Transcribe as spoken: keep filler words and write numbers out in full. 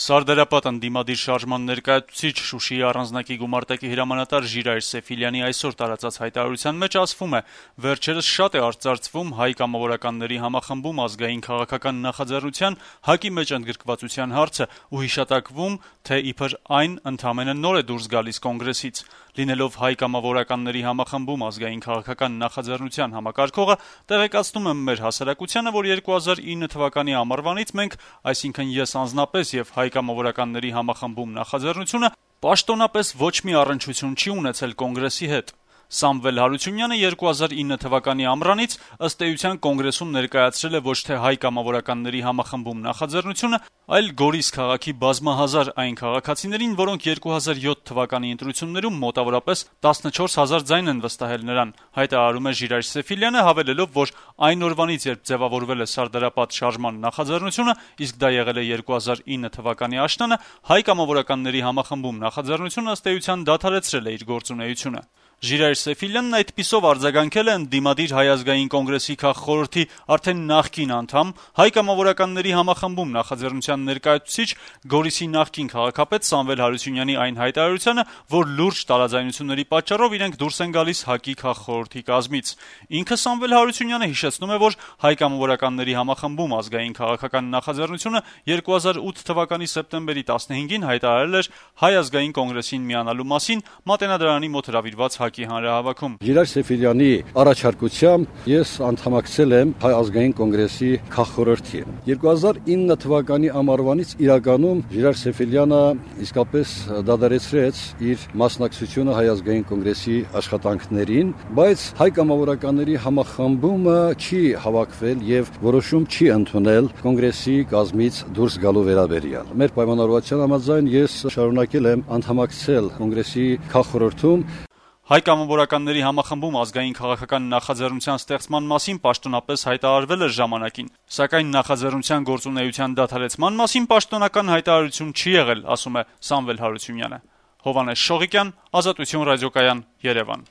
Սարդարապատ ընդդիմադիր շարժման ներկայացուցիչ Շուշիի առանձնակի գումարտակի հրամանատար Ժիրայր Սեֆիլյանի այսօր տարածած հայտարարության մեջ ասվում է. «Վերջերս շատ է արծարծվում հայ կամավորականների համախմբում ազգային քաղաքական նախաձեռնության ՀԱԿ-ի մեջ ընդգրկվածության հարցը ու հիշատակվում, թե իբր այն ընդամենը նոր է դուրս գալիս կոնգրեսից։ Լինելով հայ կամավորականների համախմբում ազգային քաղաքական նախաձեռնության համակարգողը, տեղեկացնում եմ մեր հասարակությանը, որ երկու հազար ինը թվականի ամառվանից մենք, այսինքն ես անձնապես եւ հայ կամավորականների համախմբում նախաձեռնությունը, պաշտոնապես ոչ մի առնչություն չի ունեցել կոնգրեսի հետ։ Սամվել Հարությունյանը երկու հազար ինը թվականի ամռանից ըստ էության կոնգրեսում ներկայացրել է ոչ թե հայ կամավորականների համախմբում նախաձեռնությունը, այլ Գորիս քաղաքի բազմահազար այն քաղաքացիներին, որոնք երկու հազար յոթ թվականի ընտրություններում մոտավորապես տասնչորս հազար ձայն են վստահել նրան», հայտարարում է Ժիրայր Սեֆիլյանը, հավելելով, որ այն օրվանից, երբ ձևավորվել է Սարդարապատ շարժման նախաձեռնությունը, իսկ դա եղել է երկու հազար ինը թվականի աշնանը, հայ կամավորականների համախմբում նախաձեռնությունը ըստ էության դադարեցրել է իր գործունեությունը։ Ժիրայր Սեֆիլյանն այդպիսով արձագանքել է ընդդիմադիր Հայ ազգային կոնգրեսի քաղխորհրդի արդեն նախկին անդամ, հայ կամավորականների համախմբում նախաձեռնության ներկայացուցիչ Գորիսի նախկին քաղաքապետ Սամվել Հարությունյանի այն հայտարարությանը, որ լուրջ տարաձայնությունների պատճառով իրենք դուրս են գալիս ՀԱԿ-ի քաղխորհրդի կազմից։ Ինքը Սամվել Հարությունյանը հիշեցնում է, որ հայ կամավորականների համախմբում ազգային քաղաքական նախաձեռնությունը երկու հազար ութ թվականի սեպտեմբերի տասնհինգին հայտարարել էր Հայ ազգային կոնգրեսին միանալու մասին Մատենադարանի մոտ հրավիրված ՀԱԿ-ի հանրահավաքում։ Ժիրայր Սեֆիլյանի առաջարկությամբ ես անդամակցել եմ Հայ ազգային կոնգրեսի քաղխորհրդի։ երկու հազար ինը թվականի ամառվանից իրականում Ժիրայր Սեֆիլյանը իսկապես դադարեցրեց իր մասնակցությունը Հայ ազգային կոնգրեսի աշխատանքներին, բայց հայ կամավորականների համախմբումը չի հավաքվել եւ որոշում չի ընդունել կոնգրեսի կազմից դուրս գալու վերաբերյալ։ Մեր պայմանավորվածության համաձայն ես շարունակել եմ անդամակցել կոնգրեսի քաղխորհրդում։ Հայ կամավորականների համախմբում ազգային քաղաքական նախաձեռնության ստեղծման մասին պաշտոնապես հայտարարվել էր ժամանակին, սակայն նախաձեռնության գործունեության դադարեցման մասին պաշտոնական հայտարարություն չի եղել, ասում է Սամվել Հարությունյանը։ Հովհաննես Շողիկյան, Ազատություն ռադիոկայան, Երևան։